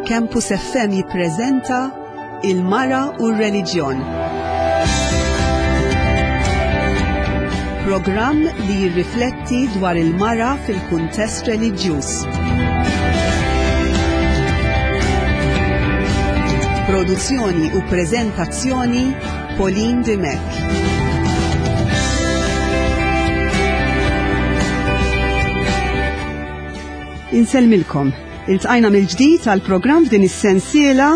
Campus FM jippreżenta Il-Mara u r-Reliġjon. Programm li jirrifletti dwar il-mara fil-kuntest reliġjuż. Produzzjoni u preżentazzjoni Pauline Dimech. Insellmilkom. Iltqajna mill-ġdid għal programm f'din is-sensiela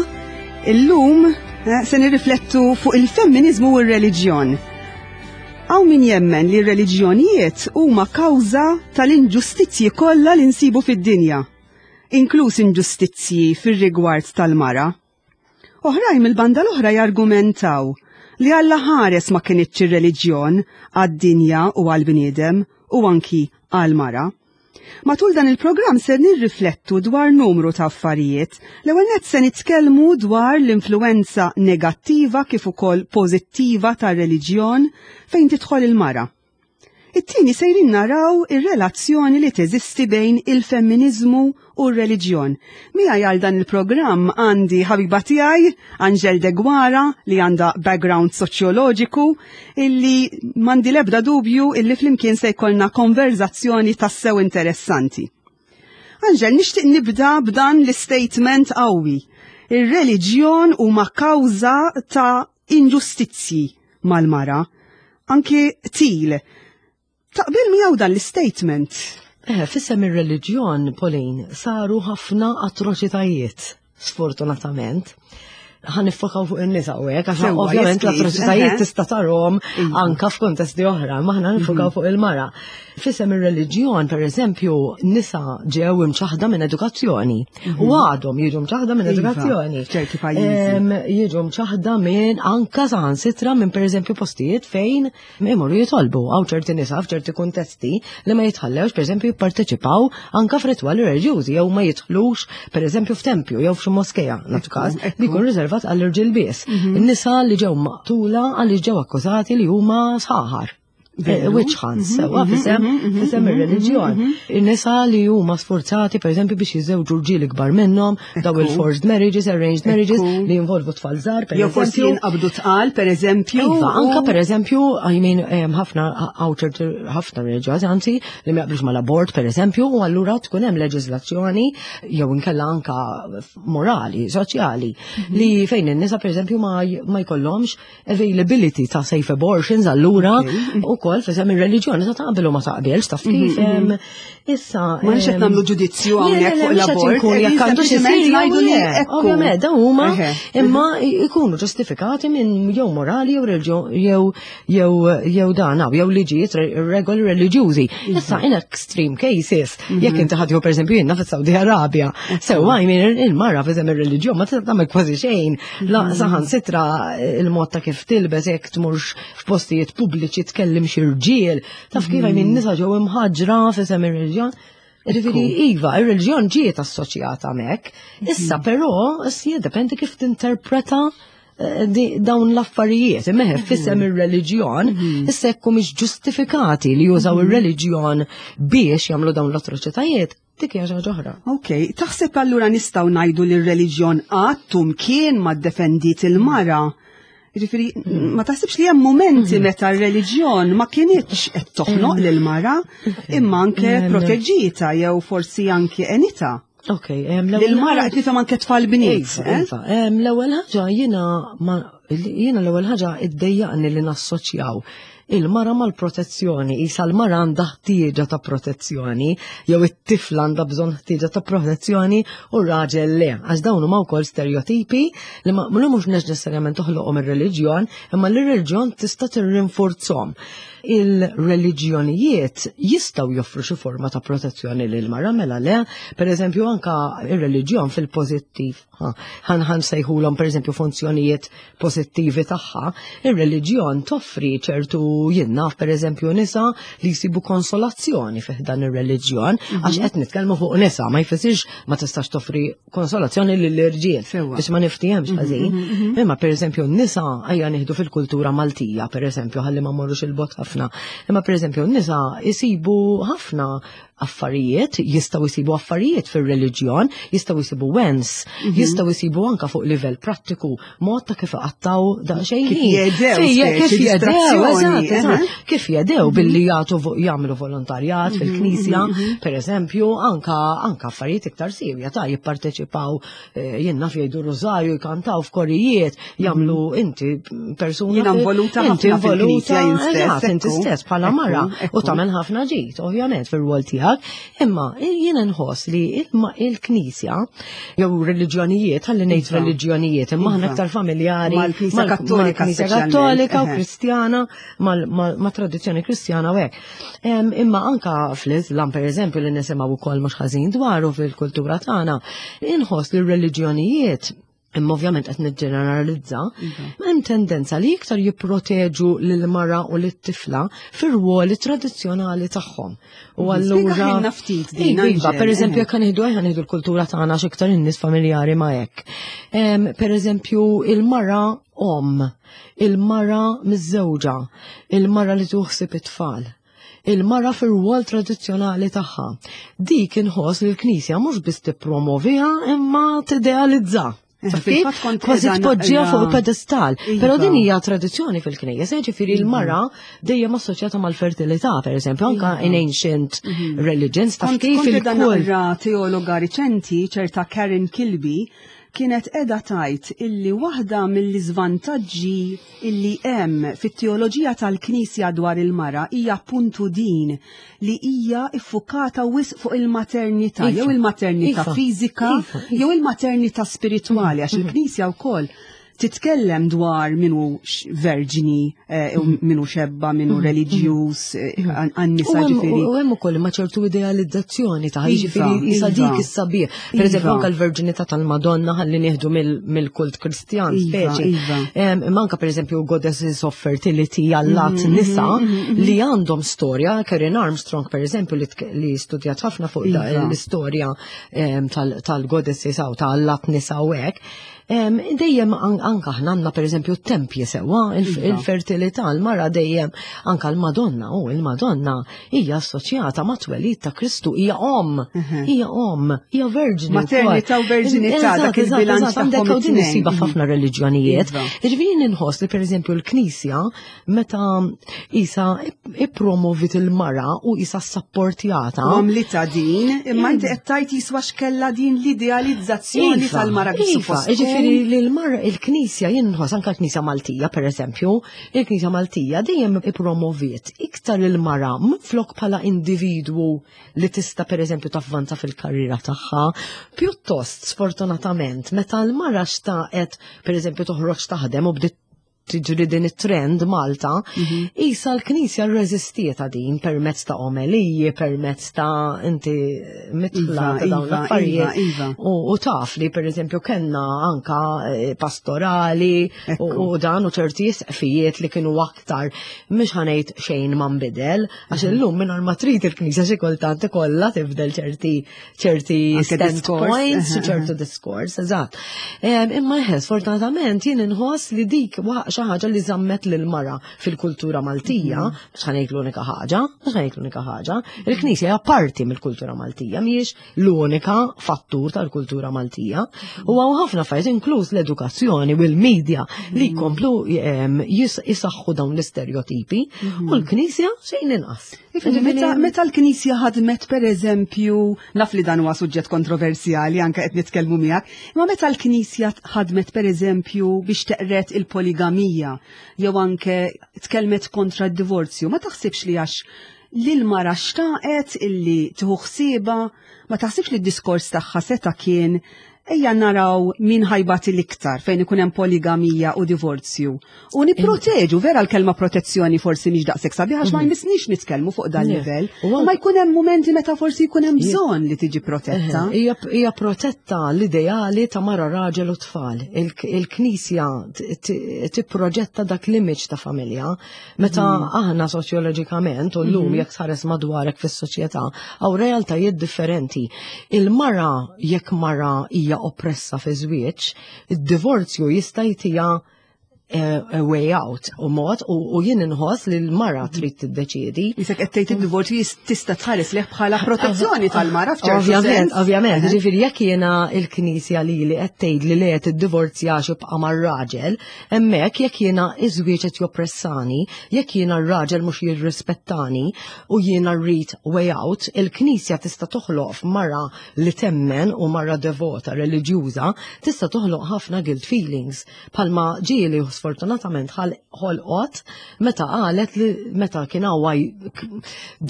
illum eh, se nirriflettu fuq il-femminizmu u r-reliġjon. Hawn min jemmen li r-reliġjonijiet huma kawża tal-inġustizzji kollha li nsibu fid-dinja, inkluż inġustizzji fir-rigward tal-mara. Oħrajn mill-banda l-oħra jargumentaw li Alla ħares ma kinitx ir-reliġjon għad-dinja u għall-bniedem u anki għall-mara. Matul dan il-programm se nirriflettu dwar numru ta' affarijiet. L-ewwel nett se nitkellmu dwar l-influwenza negattiva kif ukoll pożittiva tar-reliġjon fejn tidħol il-mara. It-tieni sejrin naraw ir-relazzjoni li teżisti bejn il-femminiżmu u r-reliġjon. Miegħi għal dan il-programm għandi ħabiba tiegħi, Angel Deguara, li għandha background soċjoloġiku, illi m'għandi l-ebda dubju illi flimkien se jkollna konverzazzjoni tassew interessanti. Angel, nixtieq nibda b'dan l-statement qawwi. Ir-reliġjon huma kawża ta' inġustizzji mal-mara, anki qtil. Taqbil miegħu dan l-statement? Eh, fissem ir-reliġjon, Pauline, saru ħafna atroċitajiet, sfortunatament. Ħa niffokaw fuq in-nisa u hekk, għax ovvjament l-atroċitajiet tista' tarhom iva. anka f'kuntesti oħra, ma aħna nifokaw mhm. fuq il-mara. F'isem ir-reliġjon, per eżempju, nisa ġew imċaħda minn edukazzjoni u mhm. għadhom jiġu mċaħda minn iva, edukazzjoni. ċerti pajjiżi. Jiġu mċaħda minn anka saħansitra minn per eżempju postijiet fejn imorru jitolbu hawn ċerti nisa f'ċerti kuntesti li ma jitħallewx per eżempju jipparteċipaw anka f'ritwali reliġjużi jew ma jidħlux per eżempju f'tempju jew f'xi moskeja nagħtu każ li jkun riservat għall-irġiel biss. Mhm. In-nisa li ġew maqtula għaliex ġew akkużati li huma sħaħar. Eh, witch hunts, mhm, sewa, mhm, fisem, mhm, fisem il-reliġjon. In-nisa li huma sforzati, per eżempju, biex jiżewġu rġiel ikbar minnhom, daw il-forced marriages, arranged marriages, li jinvolvu tfal żgħar, per eżempju. Jew forsi jinqabdu tqal, per eżempju. Iva, anka per eżempju, I mean, ħafna ħafna reliġjożi, anzi, li ma jaqblux mal-abort, per eżempju, u allura tkun hemm leġiżlazzjoni jew inkella anka morali, soċjali, li fejn in-nisa, per eżempju, ma jkollhomx availability ta' safe abortions allura u kol fisem il-reliġjoni ta' taqbel u ma taqbelx taf mhm, kif. Mhm. Issa. Ma nix qed nagħmlu ġudizzju hawnhekk fuq l-abort. Jekk għandu xi ngħidu li Ovvjament dawn huma imma jkunu ġustifikati minn jew morali jew jew jew jew dan jew liġijiet regoli reliġjużi. Issa in extreme cases, mhm. jekk inti ħadju pereżempju jiena fis-Saudi Arabja, sewa jmin il-mara fisem ir-reliġjon ma tista' tagħmel kważi xejn La mm. saħan sitra il-mod ta' kif tilbes jekk tmurx f'postijiet pubbliċi tkellim xi rġiel, taf kif minn mm. nisa ġew imħaġra f'isem ir-reliġjon. Ġifieri iva, ir-reliġjon ġiet assoċjata mek. Issa mm. però jiddependi kif tinterpreta eh, dawn l-affarijiet, meħe fissem ir-reliġjon, issa jekk mhux ġustifikati li jużaw ir-reliġjon biex jagħmlu dawn l-atroċitajiet, Dik hija xi ħaġa oħra. Ok, taħseb allura nistgħu ngħidu li r-reliġjon qatt u mkien ma ddefendiet il-mara? Jiġifieri ma taħsibx li hemm momenti mm. meta r-reliġjon ma kinitx qed toħnoq mm. lil-mara imma anke mm. proteġġietha jew forsi anke enita. Ok, l-mara qed nifhem anke tfal bniet. Iva, eh? Iva, l-ewwel ħaġa jiena jiena l-ewwel ħaġa iddejjaqni li nassoċjaw il-mara mal-protezzjoni, isa l-mara għandha ħtieġa ta' protezzjoni, jew it-tifla għandha bżonn ħtieġa ta' protezzjoni u r-raġel le, għax dawn huma wkoll stereotipi li ma mhux neċessarjament toħloqhom ir-reliġjon, imma li r-reliġjon tista' tirrinforzhom. Il-reliġjonijiet jistgħu joffru xi forma ta' protezzjoni lil mara mela le, per eżempju anka ir-reliġjon fil-pożittiv ħan ħan sejħulhom pereżempju funzjonijiet pożittivi tagħha, ir-reliġjon toffri ċertu jien naf pereżempju nisa li jsibu konsolazzjoni fih dan ir-reliġjon, mhm. għax qed nitkellmu fuq nisa, ma jfissirx ma tistax toffri konsolazzjoni lill-irġiel biex ma niftihemx mhm, ħażin. Mhm, Imma pereżempju n-nisa ejja nieħdu fil-kultura Maltija pereżempju ħalli ma mmorrux il-bot ħafna. Imma pereżempju n-nisa jsibu ħafna affarijiet, jistgħu jsibu affarijiet fir-reliġjon, jistgħu jsibu wens, mhm. jistgħu jsibu anka fuq livell prattiku mod ta' kif iqattaw daqsxejn. Kif jedew, kif jedew, eżatt, kif jedew mhm. billi jagħtu jagħmlu volontarjat mhm, fil-knisja, per eżempju, anka anka affarijiet iktar sirja ta' jipparteċipaw eh, jien naf jgħidu rużarju, jkantaw f'korijiet, jagħmlu inti persuna. Jiena involuta inti involuta eżatt, inti stess bħala mara u tagħmel ħafna ġid, ovvjament fir-rwol tiegħek, imma jiena nħoss li il-Knisja jew reliġjonijiet, ħalli ngħid iva. reliġjonijiet, imma aħna iva. aktar familjari mal-Knisja Kattolika, Kattolika u Kristjana, ma' tradizzjoni Kristjana u hekk. Imma anka fl-Islam pereżempju li nisimgħu wkoll mhux ħażin dwaru fil-kultura tagħna, inħoss li r-reliġjonijiet imma ovvjament qed niġġeneralizza, iva. hemm tendenza li iktar jipproteġu lil mara u lit-tifla fir-ruoli tradizzjonali tagħhom. U allura ftit din. Iva, per eżempju jekk nieħdu ejja nieħdu l-kultura tagħna x'iktar in-nies familjari ma' hekk. Per eżempju il-mara om, il-mara miżżewġa, il-mara li tuħsib it-tfal il-mara fir-rwol tradizzjonali tagħha. Dik inħoss li l-Knisja mhux biss tippromoviha imma tidealizza. Eh, kważi tpoġġiha fuq pedestal. Iva. Però din hija tradizzjoni fil-Knisja, ġifieri iva. l-mara dejjem assoċjata mal-fertilità, pereżempju, anka iva. in ancient mhm. religions taf kif il-kull. teologa riċenti, ċerta Karen Kilby, kienet qiegħda tgħid illi waħda mill-iżvantaġġi illi hemm fit-teoloġija tal-Knisja dwar il-mara hija appuntu din li hija iffukata wisq fuq il-maternità jew il-maternità iva. fiżika iva. jew il-maternità spiritwali għax il-Knisja wkoll titkellem dwar minu verġni, eh, mhm. minu xebba, minu mhm. reliġjuż, eh, mhm. għan-nisa ġifieri. U hemm ukoll ma ċertu idealizzazzjoni ta' iva, ġifieri isa dik iva. is-sabiħ. Per eżempju iva. anke l-verġinità tal-Madonna ħalli nieħdu mill-kult Kristjan speċi. Imma anke pereżempju goddesses of fertility għallat nisa li għandhom storja, Karen Armstrong pereżempju li studjat ħafna fuq l-istorja tal-goddesses u tal-allat nisa u hekk. Dejjem anka aħna għandna pereżempju t-tempji sewwa, iva. il-fertilità, l-mara dejjem anka l-Madonna u il-Madonna hija assoċjata ma' twelid ta' Kristu, hija om, mhm. hija om, hija verġni. Maternità u verġinità dak il-bilanċ għandek u din isiba mhm. f'ħafna reliġjonijiet. Iva. Ġifieri inħoss li pereżempju l-Knisja meta isa ippromovit il-mara u isa sapportjata. Għamlita din, imma inti qed tgħid jiswa x'kella din l-idealizzazzjoni iva, tal-mara kif iva, suppost. Jiġifieri li l-mara il-Knisja jinħoss anke l-Knisja Maltija pereżempju, il-Knisja Maltija dejjem ippromoviet iktar il-mara minflok bħala individwu li tista' pereżempju tavvanza fil-karriera tagħha, pjuttost sfortunatament meta l-mara xtaqet pereżempju toħroġ taħdem u bdiet tiġri din it-trend Malta, mhm. isa l-Knisja rreżistiet din permezz ta' omeliji, permezz ta' inti mitla iva, ta' dawn iva, l-affarijiet. Iva, u taf li per eżempju kellna anka eh, pastorali u dan u ċerti isqfijiet li kienu aktar mhux ħanejt xejn ma nbidel, għax mhm. illum minn ma trid il-Knisja xi kultant ikollha tibdel ċerti ċerti standpoints, ċertu diskors, eżatt. Imma eħe, sfortunatament jien inħoss li dik xi ħaġa li żammet lil mara fil-kultura Maltija, mhm. mhux ħanejt l-unika ħaġa, mhux ħanejt l-unika ħaġa, il-Knisja hija parti mill-kultura Maltija, mhijiex l-unika fattur tal-kultura Maltija. Mhm. U hawn ħafna affarijiet inkluż l-edukazzjoni u l-medja li mhm. jkomplu jisaħħu dawn l-istereotipi u l-Knisja xejn inqas. Meta l-Knisja ħadmet per eżempju, naf li dan huwa suġġett kontroversjali anke qed nitkellmu miegħek, imma meta l-Knisja ħadmet per eżempju biex teqret il-poligamija jew anke tkellmet kontra d-divorzju, ma taħsibx li għax li l-mara xtaqet illi tieħu ħsieba, ma taħsibx li d-diskors tagħha seta' kien ejja naraw min ħajbati l-iktar fejn ikun hemm poligamija u divorzju. U nipproteġu, vera l-kelma protezzjoni forsi mhix daqshekk sabiħa għax ma mhm. jmissniex nitkellmu fuq dan livell. U ma jkun hemm mumenti meta forsi jkun hemm bżonn li tiġi protetta. Hija protetta l-ideali ta' mara raġel u tfal. Il-Knisja tipproġetta dak l-image ta' familja. Meta mhm. aħna soċjoloġikament u llum mhm. jekk tħares madwarek fis-soċjetà hawn realtajiet differenti. Il-mara jekk mara hija oppressa fi żwieġ, id-divorzju jista' jtiha a way out u mod u jien inħoss li l-mara trid tiddeċiedi. Isek qed tgħid id-divorzju tista' tħares leh bħala protezzjoni tal-mara f'ċertu Ovvjament, ovvjament, ġifieri jekk jiena l-Knisja lili qed tgħid li le tiddivorzjax ibqa' mar-raġel, hemmhekk jekk jiena iż-żwieġ qed joppressani, jekk jiena r-raġel mhux jirrispettani u jiena rrid way out, il-Knisja tista' toħloq f'mara li temmen u mara devota reliġjuża tista' toħloq ħafna guilt feelings. Bħalma ġieli sfortunatament ħolqot meta qalet li meta kien hawn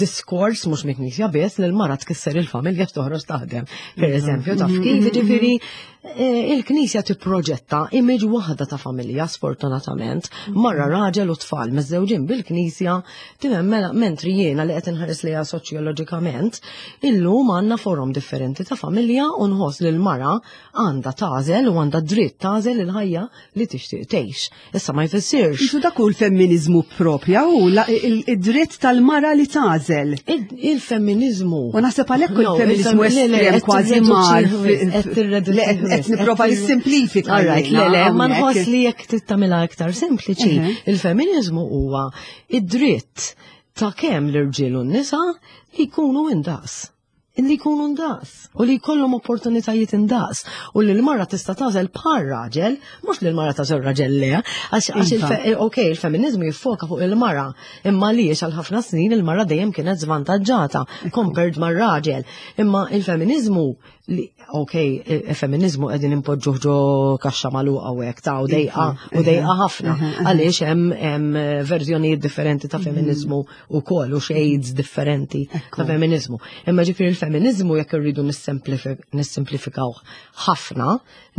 diskors mhux mill-Knisja biss li l-mara tkisser il-familja toħroġ taħdem. Per mhm. eżempju, taf kif mhm. ġifieri eh, il-Knisja tipproġetta image waħda ta' familja sfortunatament, mhm. marra raġel u tfal miżżewġin bil-Knisja tifhem mela mentri jiena li qed inħares lejha soċjoloġikament, illum għandna forom differenti ta' familja u nħoss li l-mara għandha tagħżel u għandha dritt tagħżel il-ħajja li tixtieq tgħix. Issa ma jfissirx. Isu dak hu l-femminizmu propja u id-dritt tal-mara li tagħżel. Il-femminizmu. U naħseb għalhekk il-femminizmu estrem kważi mar. Qed nipprova nissimplifika. Le, le, ma nħoss li jekk tittamilha iktar sempliċi, il-femminizmu huwa id-dritt ta' kemm l-irġiel u n-nisa li jkunu indaqs li jkunu ndaqs u li jkollhom opportunitajiet indaqs u li l-mara tista' tagħżel bħal raġel, mhux li l-mara tagħżel raġel le, għax iva. eh, ok, il-feminiżmu jiffoka fuq il-mara, imma għaliex għal ħafna snin il-mara dejjem kienet żvantaġġata compared mar-raġel. Imma il-feminiżmu li ok, il-feminiżmu qegħdin impoġġuh ġo kaxxa magħluqa u hekk ta' u dejqa u dejqa ħafna għaliex hemm verżjonijiet differenti ta' mhm. feminiżmu ukoll u shades differenti ta' feminiżmu. Imma ġifieri il-feminiżmu jekk irridu nissimplifikawh ħafna,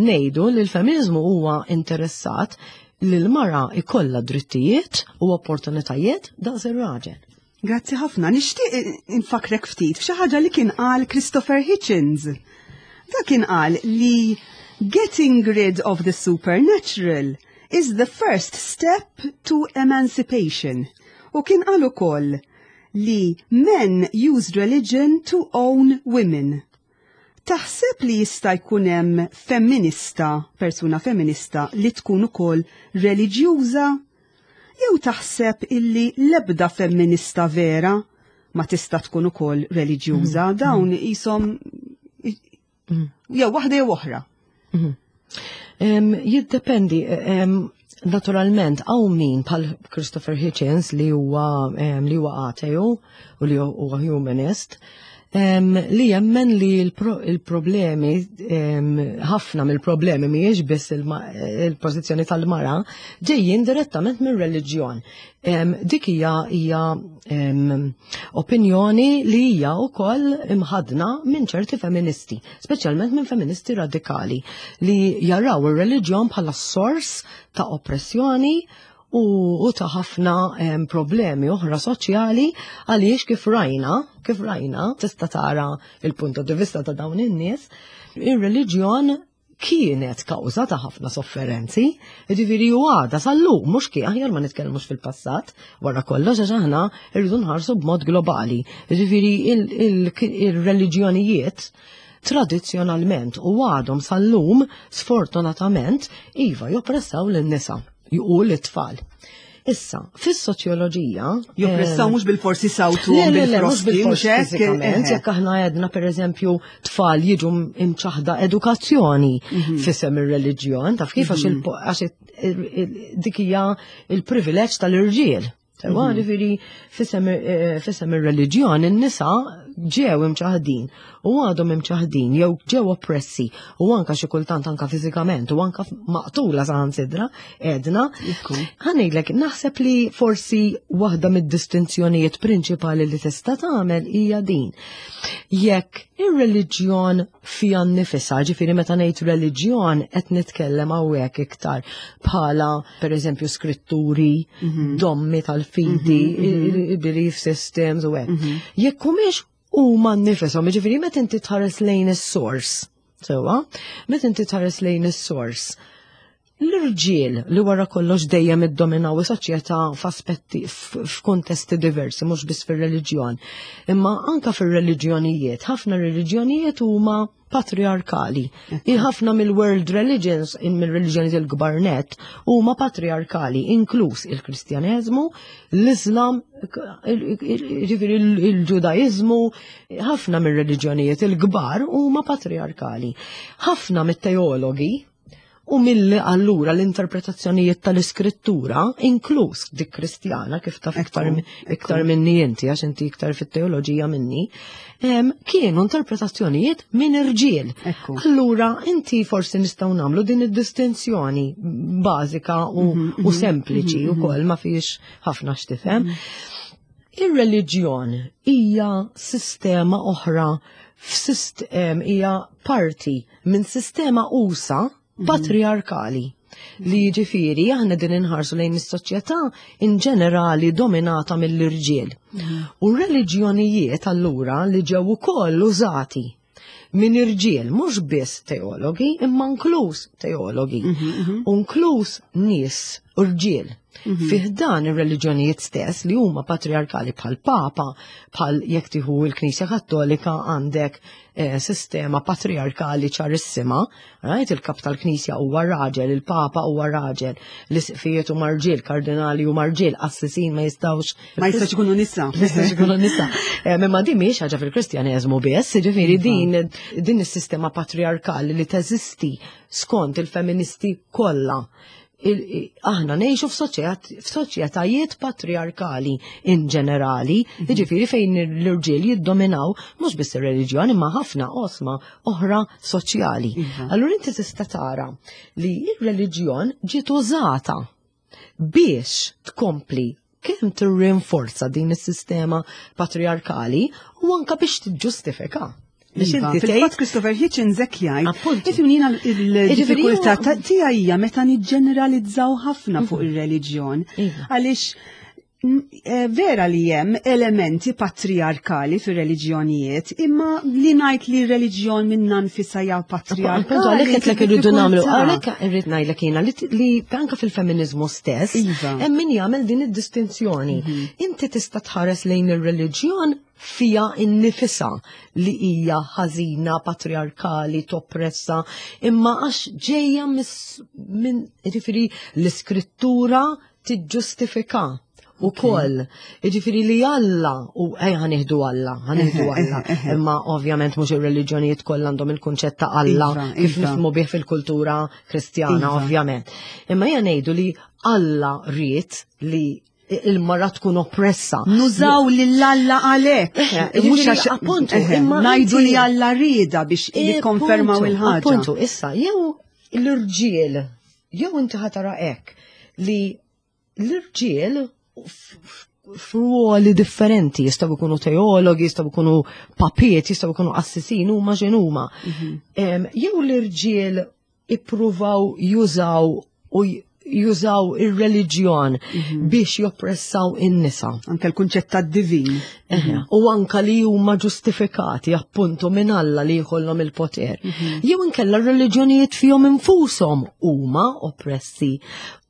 ngħidu li l-feminiżmu huwa interessat li l-mara ikollha drittijiet u opportunitajiet daqs ir-raġel. Grazzi ħafna. Nixtieq infakrek ftit f'xi ħaġa li kien qal Christopher Hitchens. Da kien qal li getting rid of the supernatural is the first step to emancipation. U kien qal ukoll li men used religion to own women. Taħseb li jista' jkun hemm femminista, persuna femminista li tkun ukoll reliġjuża? Jew taħseb illi l-ebda femminista vera ma tista' tkun ukoll reliġjuża, mm. dawn mm. qishom mm. jew waħda jew oħra. Jiddependi, naturalment, hawn min bħal Christopher Hitchens li huwa li huwa ateju u li huwa humanist, li jemmen li l-problemi, ħafna mill-problemi mhijiex biss il-pożizzjoni tal-mara, ġejjin direttament mir-reliġjon. Dik hija hija opinjoni li hija wkoll imħadna minn ċerti feministi, speċjalment minn feministi radikali li jaraw ir-reliġjon bħala sors ta' oppressjoni u ta' ħafna problemi oħra soċjali għaliex kif rajna, kif rajna, tista' tara il-punto di vista ta' dawn in-nies, ir-reliġjon kienet kawża ta' ħafna sofferenzi, jiġifieri u għada sal-lum mhux kien aħjar ma nitkellmux fil-passat, wara kollox għax aħna rridu nħarsu b'mod globali. Jiġifieri il-reliġjonijiet tradizzjonalment u għadhom sal-lum sfortunatament iva joppressaw lin-nisa u l-tfal. Issa, fis-soċjoloġija. Joppressaw eh, mhux bil-forsi sawtu bil-forsi mhux hekk. Eh, jekk aħna għedna pereżempju tfal jiġu imċaħda edukazzjoni mhm. fisem ir-reliġjon, taf kif għax mhm. dik hija il-privileġġ tal-irġiel. Sewa, mhm. ġifieri eh, fisem ir-reliġjon in-nisa ġew imċaħdin u għadhom imċaħdin jew ġew oppressi u anka xi kultant anka fiżikament u anka maqtula saħansitra edna. Ħanejlek naħseb li forsi waħda mid-distinzjonijiet prinċipali li tista' tagħmel hija din. Jekk ir-reliġjon fija nnifisha, ġifieri meta ngħid reliġjon qed nitkellem hawnhekk iktar bħala pereżempju skritturi, mhm. dommi tal-fidi, mhm, mhm. belief systems u hekk. Jekk humiex huma nnifishom, ġifieri meta inti tħares lejn is-sors, sewwa, meta inti tħares lejn is-sors, L-irġiel li wara kollox dejjem iddominaw is-soċjetà f'aspetti f'kuntesti diversi, mhux biss fir-reliġjon, imma anka fir-reliġjonijiet, ħafna reliġjonijiet huma patriarkali. Ħafna mill-world religions, mill-reliġjonijiet il-kbar net, huma patriarkali, inkluż il-Kristjaneżmu, l-Islam, ġifieri il-Ġudaiżmu, ħafna mir-reliġjonijiet il-kbar huma patriarkali. Ħafna mit-teologi u mill allura l-interpretazzjonijiet tal-iskrittura, inkluż dik Kristjana, kif taf iktar, iktar minni inti, għax inti iktar fit-teoloġija minni, kienu interpretazzjonijiet minn irġiel. Allura inti forsi nistgħu nagħmlu din id-distinzjoni bażika u, mm -hmm, u sempliċi mm -hmm. ukoll ma fiex ħafna x'tifhem. Mm -hmm. Ir-reliġjon hija sistema oħra hija parti minn sistema usa mhm. patriarkali li jiġifieri aħna din inħarsu lejn is-soċjetà in ġenerali dominata mill-irġiel. Mhm. U reliġjonijiet allura li ġew ukoll użati minn irġiel mhux biss teologi imma inkluż teologi, mhm, u inkluż nies irġiel. Mhm. Fih dan ir-reliġjonijiet stess li huma patriarkali bħal papa, bħal jekk tieħu l-Knisja Kattolika għandek eh, sistema patriarkali ċarissima, right? Il-kap tal-Knisja huwa raġel, il-Papa huwa raġel, l-isqfijiet huma rġiel, kardinali huma rġiel, qassisin ma jistgħux ma jistgħux ikunu nisa. Jistgħux ikunu nisa. Eh, imma din mhijiex ħaġa fil-Kristjaneżmu biss, jiġifieri iva. din din is-sistema patriarkali li teżisti skont il-feministi kollha aħna ngħixu f'soċjetajiet patriarkali in ġenerali, mhm. jiġifieri fejn l-irġiel jiddominaw mhux biss ir-reliġjon imma ħafna osma oħra soċjali. Iva. Allura inti tista' tara li r-reliġjon ġiet użata biex tkompli kemm tirrinforza din is-sistema patriarkali u anka biex tiġġustifika. Biex iva, inti tgħid Christopher Hitchens hekk jgħid. Ifhimni jiena il-diffikultà tiegħi hija meta niġġeneralizzaw ħafna fuq mhm. ir-reliġjon. Iva. Għaliex eh, vera li hemm elementi patriarkali fir-reliġjonijiet, imma li ngħid li r-reliġjon minna nfisha hija patriarkali. Appuntu għalhekk qed lek irridu nagħmlu, għalhekk irrid ngħidlek jiena li anke fil-feminiżmu stess iva. hemm min jagħmel din id-distinzjoni. Mhm. Inti tista' tħares lejn ir-reliġjon fija innifisha li hija ħażina, patriarkali, toppressa, imma għax ġejja minn jiġifieri l-iskrittura tiġġustifika u koll. Iġifiri li Alla, u ej ħaniħdu Alla, ħaniħdu Alla. Imma ovvjament mhux ir-reliġjonijiet kollha għandhom il-kunċett ta' Alla iva, kif iva. nifhmu bih fil-kultura Kristjana, iva. ovvjament. Imma hija ngħidu li Alla ried li il-mara tkun oppressa. Nużaw lill-Alla għalhekk. Mhux għax appuntu, imma ngħidu li Alla rieda biex jikkonfermaw il-ħaġa. Appuntu, issa jew l-irġiel, jew inti ħatara hekk li l-irġiel f'ruoli differenti, jistgħu jkunu teologi, jistgħu jkunu papiet, jistgħu jkunu qassisin, huma x'inhuma. Mhm. Jew l-irġiel ippruvaw jużaw u jużaw ir-reliġjon mhm. biex joppressaw in-nisa. Anke l-kunċett tad-divin. Mhm. U anka li huma ġustifikati appuntu minn Alla li jkollhom il-poter. Mhm. Jew inkella r-reliġjonijiet fihom infushom huma oppressi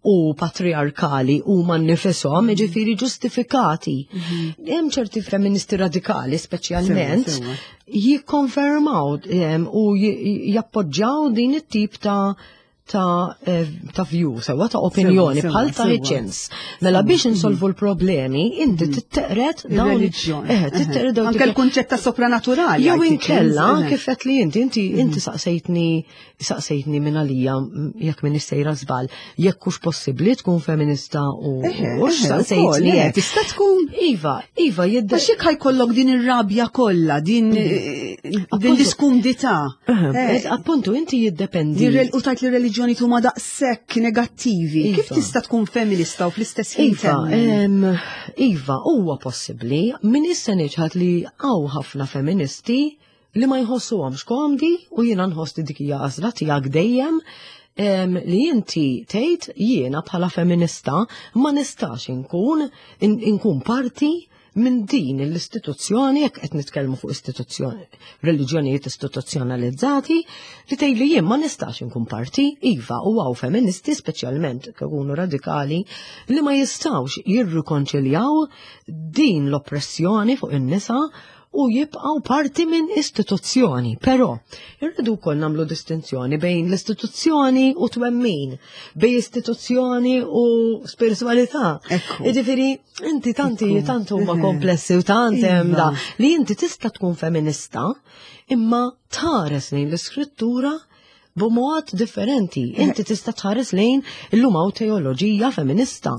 u patriarkali huma nnifisom, mhm. jiġifieri ġustifikati. Mhm. Hemm ċerti feministi radikali speċjalment jikkonfermaw u jappoġġaw din it-tip ta' ta' eh, ta' view, sewa ta' opinjoni bħal ta' Hitchens. Mela biex insolvu l-problemi, inti mhm. titteqret dawn. Eh, titteqret dawn. Anke l-kunċett ta' sopranaturali. Jew inkella kif qed li inti inti inti saqsejtni saqsejtni minn għalija jekk minn sejra żball, jekk hux possibbli tkun feminista u hux saqsejtni. Tista' tkun. Iva, iva jidda. Għax jekk ħajkollok din ir-rabja kollha, din mhm. eh, din l-iskumdità. Eh, appuntu inti jiddependi. U tajt li reliġjoni huma daqshekk negattivi. Kif iva. tista' tkun feminista u fl-istess ħin? Iva, iva, huwa possibbli. Min issa niġħad li hawn ħafna feministi li ma jħossuhomx komdi u jiena nħoss li dik hija għażla tiegħek dejjem li inti tgħid jiena bħala feminista ma nistax inkun inkun parti minn din l-istituzzjoni, jekk qed nitkellmu fuq istituzzjoni, reliġjonijiet istituzzjonalizzati, li tgħid li jien ma nistax inkun parti, iva, u hawn feministi speċjalment ikunu radikali li ma jistgħux jirrikonċiljaw din l-oppressjoni fuq in-nisa u jibqgħu parti minn istituzzjoni. Però irridu wkoll nagħmlu distinzjoni bejn l-istituzzjoni u twemmin, bejn istituzzjoni u spiritualità. Jiġifieri inti tanti tant huma komplessi u tant hemm da li inti tista' tkun feminista imma tħares lejn l-iskrittura b'mod differenti. Inti tista' tħares lejn illum hawn teoloġija femminista.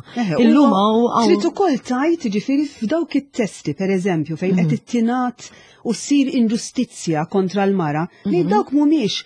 Illum hawn Trid ukoll tajt ġifieri f'dawk it-testi pereżempju fejn qed mhm. ittingħad u ssir inġustizzja kontra l-mara, li mhm. dawk mhumiex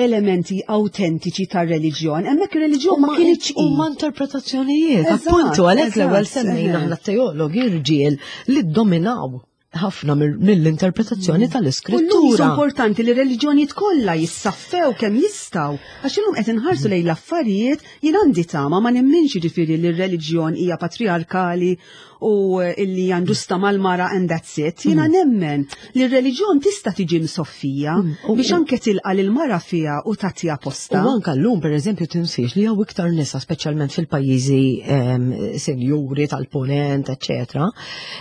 elementi autentiċi tar-reliġjon, hemmhekk ir-reliġjon ma kienx huma interpretazzjonijiet. Appuntu għalhekk l-ewwel semmejna aħna teologi rġiel li ddominaw ħafna mill-interpretazzjoni mm. tal-iskrittura. U importanti li reliġjonijiet kollha jissaffew kemm jistgħu, għax illum qed inħarsu lejn l-affarijiet jien għandi tama ma nemminx jiġifieri li r-reliġjon hija patriarkali u illi hija ġusta mal-mara and that's it. Jiena mm. nemmen li r-reliġjon tista' tiġi msoffija mm. biex anke tilqa' lil mara fiha u tagħtiha posta. U anke llum pereżempju tinsiex li hawn iktar nisa speċjalment fil-pajjiżi ehm, senjuri tal-punent, eċċetera,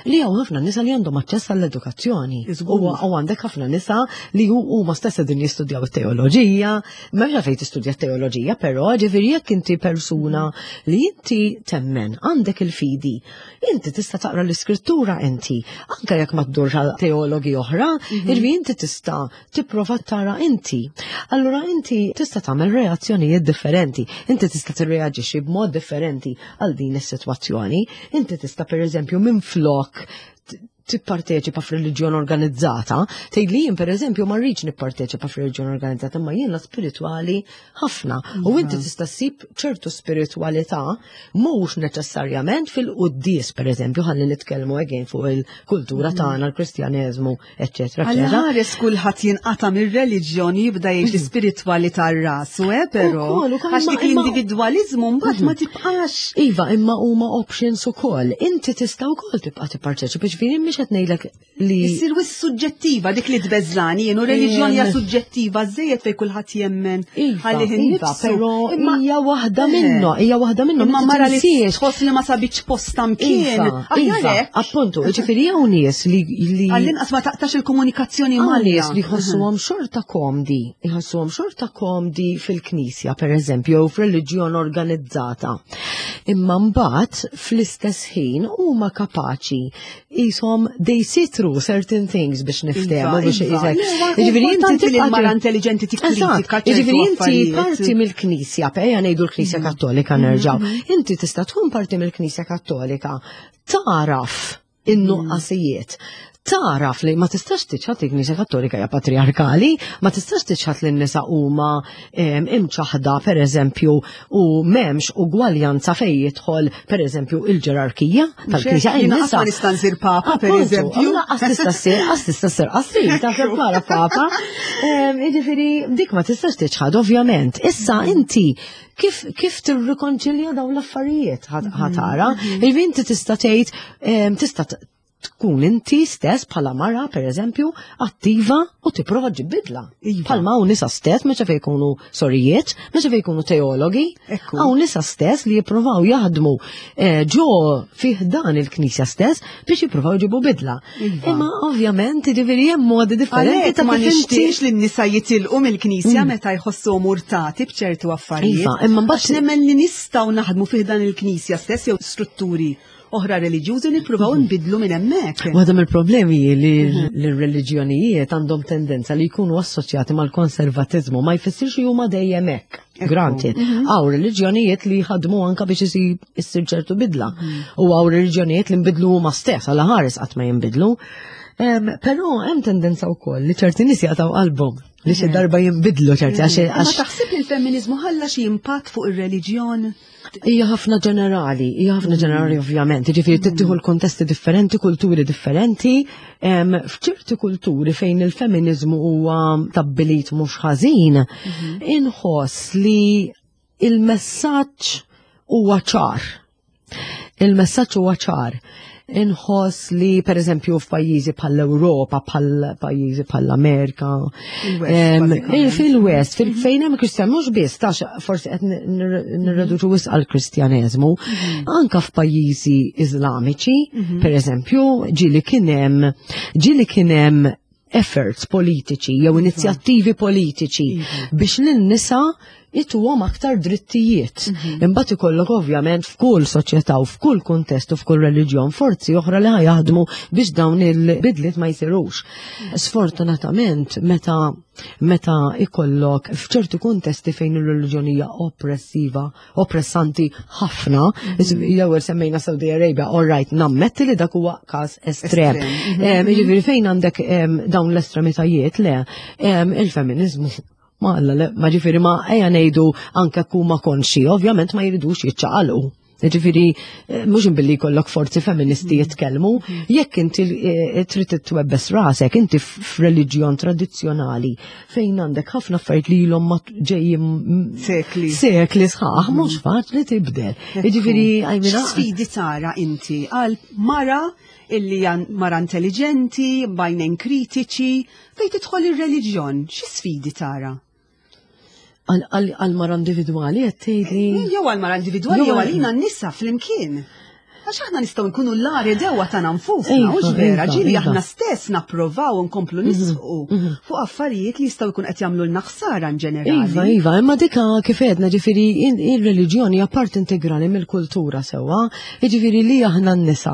li hawn ħafna nisa li għandhom aċċess għall-edukazzjoni. U għandek ħafna nisa li huma stess qegħdin jistudjaw it-teoloġija, m'hemmx fejn tistudja t-teoloġija, però ġifieri jekk inti persuna li inti temmen, għandek il-fidi, inti tista' taqra l-iskrittura inti, anke jekk ma ddurx għal teologi oħra, mhm. jiġifieri inti tista' tipprova tara inti. Allura inti tista' tagħmel reazzjonijiet differenti, inti tista' tirreaġixxi b'mod differenti għal din is-sitwazzjoni. Inti tista' pereżempju minflok tipparteċipa f'reliġjon organizzata, tgħid li jien pereżempju ma rridx nipparteċipa f'reliġjon organizzata, imma jiena spiritwali ħafna. U inti iva. tista' ssib ċertu spiritwalità mhux neċessarjament fil-quddies pereżempju ħalli nitkellmu again fuq il-kultura mm. tagħna l-Kristjaneżmu eċetera. Għal ħares kulħadd jinqata' mir-reliġjon jibda jgħix l-ispiritwalità rasu, eh, però. Għax dik l-individwaliżmu mbagħad ma mhm. tibqax. Iva, imma huma options ukoll. Inti tista' wkoll tibqa' tipparteċipa, ġifieri mhix qed ngħidlek li. Issir wis suġġettiva dik li tbeżżani jien u reliġjon hija suġġettiva żejjed fejn kulħadd jemmen. Iva, iva, però hija waħda eh. minnhom, hija waħda minnhom. Imma mara li tħoss li ma sabitx posta mkien. Iva, iva, appuntu, ġifieri hawn nies li Għall-inqas ma taqtax il-komunikazzjoni ma' nies li jħossuhom xorta komdi, jħossuhom xorta komdi fil-knisja, per eżempju, jew f'reliġjon organizzata. Imma mbagħad fl-istess ħin huma kapaċi qishom they see through certain things biex niftehmu iva, biex iva. isek. Jiġifieri inti tibqa' mara intelligenti tikkritika. Jiġifieri inti parti mill-Knisja, ejja ngħidu l-Knisja mm. Kattolika nerġgħu. Mm-hmm. Inti tista' tkun parti mill-Knisja Kattolika taraf in-nuqqasijiet taraf li ma tistax tiċħat il-Knisja Kattolika hija patriarkali, ma tistax tiċħat li n-nisa huma imċaħda pereżempju u m'hemmx ugwaljanza fejn jidħol pereżempju il-ġerarkija tal-Knisja. Nisa nista' nsir papa pereżempju. Qas tista' ssir, qas tista' ssir qasir ta' bħala papa. Jiġifieri dik ma tistax tiċħad ovvjament. Issa inti kif kif tirrikonċilja dawn l-affarijiet ħatara. Mhm. Jiġifieri inti tista' tgħid tista' tkun inti stess bħala mara, per eżempju, attiva u tipprova ġib bidla. Iva. Bħalma hawn nisa stess, meta fejn jkunu sorijiet, meta fejn jkunu teologi, hawn nisa stess li jippruvaw jaħdmu eh, ġo fih dan il-knisja stess biex jippruvaw ġibu bidla. Iva. Imma ovvjament jiġifieri hemm modi differenti ta' ma nixtiex li n-nisa jitilqu mill-knisja mm. meta jħossu murtati b'ċertu affarijiet. Iva, imma mbagħad nemmen li nistgħu naħdmu fih dan il-knisja stess jew strutturi oħra reliġjużi nippruvaw nbidlu minn hemmhekk. Waħda mill-problemi li mhm. l-reliġjonijiet għandhom tendenza li jkunu assoċjati mal-konservatiżmu ma jfissirx li huma dejjem hekk. Granted, mhm. hawn reliġjonijiet li jħadmu anka biex isir ċertu bidla. Mhm. U hawn reliġjonijiet li nbidlu huma stess għal ħares qatt ma jinbidlu. Però hemm tendenza wkoll li ċerti nies jaqtgħu qalbhom li xi darba jinbidlu ċerti għax. Ma taħseb li l-femminizmu ħalla xi impatt fuq ir-reliġjon? Hija ħafna ġenerali, hija ħafna mm. ġenerali ovvjament, jiġifieri mm. tittieħu l-kontesti differenti, kulturi differenti. F'ċerti kulturi fejn il-feminiżmu huwa tabbilit mhux ħażin, mm-hmm. inħoss li il-messaġġ huwa ċar. Il-messaġġ huwa ċar. Inħoss li per eżempju f'pajjiżi bħall-Ewropa, bħal pajjiżi bħall-Amerika, fil-West, fil-fejn hemm Kristjan mhux biss tax forsi qed nirreduċu wisq għall-Kristjaneżmu, mhm. anka f'pajjiżi Iżlamiċi, mhm. per eżempju, ġieli kien hemm ġieli kien hemm efforts politiċi jew iva. inizjattivi politiċi iva. biex lin-nisa jituhom aktar drittijiet. Mhm. Imbagħad ikollok ovvjament f'kull soċjetà u f'kull kuntest u f'kull reliġjon forzi oħra li jaħdmu biex dawn il-bidliet ma jsirux. Sfortunatament meta meta ikollok f'ċertu kuntesti fejn ir-reliġjon hija oppressiva oppressanti ħafna. Mhm. L-ewwel semmejna Saudi Arabia, all right, nammetti li dak huwa każ estrem. Mhm. Jiġifieri fejn għandek dawn l-estremitajiet le, il-feminizmu ma alla ma ġifieri ma ejja ngħidu anke kuma konxi, ovvjament ma jridux jiċċaqalqu. Ġifiri, eh, mux billi kollok forzi feministi mm. jitkellmu, mm. jekk inti eh, trid twebbes rasek, inti f'reliġjon tradizzjonali fejn għandek ħafna affarijiet li ilhom ma ġejjin sekli. Sekli sħaħ, mm. mhux faċli tibdel. Jiġifieri għajmina. Sfidi tara inti għal mara illi mara intelligenti, bajnejn kritiċi, fejn tidħol ir-reliġjon, xi sfidi tara? Għal mara individwali qed tgħidli. Jew għal mara individwali jew għalina n-nisa flimkien. Għax aħna nistgħu nkunu l-għar dewa tagħna nfusna, hux vera, iva, ġieli iva. aħna stess napprovaw nkomplu mhm, nisqu mhm. fuq affarijiet li jistgħu jkun qed jagħmlu lna ħsara in ġenerali. Iva, iva, imma dika kif għedna ġifieri ir-reliġjoni hija part integrali mill-kultura sewwa, jiġifieri li aħna n-nisa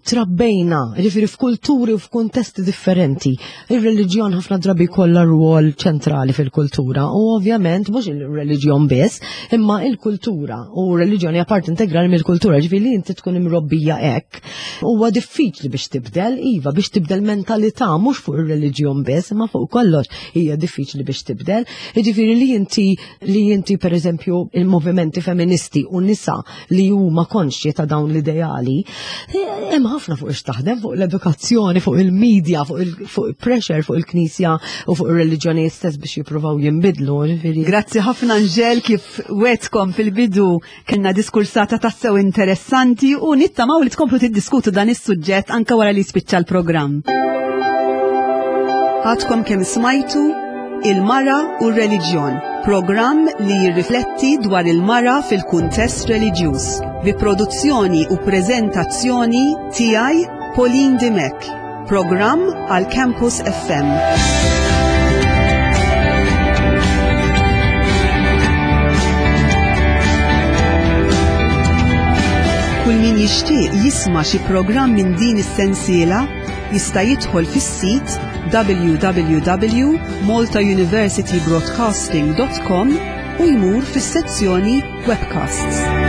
trabbejna, ġifieri f'kulturi u f'kuntesti differenti. Ir-reliġjon ħafna drabi kollha rwol ċentrali fil-kultura u ovvjament mhux il-reliġjon biss, imma il-kultura u reliġjon hija part integrali mill-kultura, ġifieri li inti tkun imrobbija hekk. Huwa diffiċli biex tibdel, iva, biex tibdel mentalità mhux fuq ir-reliġjon biss, imma fuq kollox hija diffiċli biex tibdel. Ġifieri li inti li inti pereżempju il-movimenti femministi u nisa li huma konxji ta' dawn l-ideali, eh, hemm ħafna fuq ix taħdem fuq l-edukazzjoni, fuq il-medja, fuq il-pressure, fuq il-knisja u fuq ir-reliġjonijiet stess biex jippruvaw jinbidlu. Grazzi ħafna Anġel kif wetkom fil-bidu kellna diskursata tassew interessanti u nittamaw li tkomplu tiddiskutu dan is-suġġett anke wara li jispiċċa l-programm. Għadkom kemm smajtu Il-Mara u r-Reliġjon, programm li jirrifletti dwar il-mara fil-kuntest reliġjuż, bi produzzjoni u preżentazzjoni tiegħi Pauline Dimech, programm għal Campus FM. Kull min jixtieq jisma' xi programm minn din is-sensiela jista' jidħol fis-sit www.maltauniversitybroadcasting.com u jmur fis-sezzjoni Webcasts.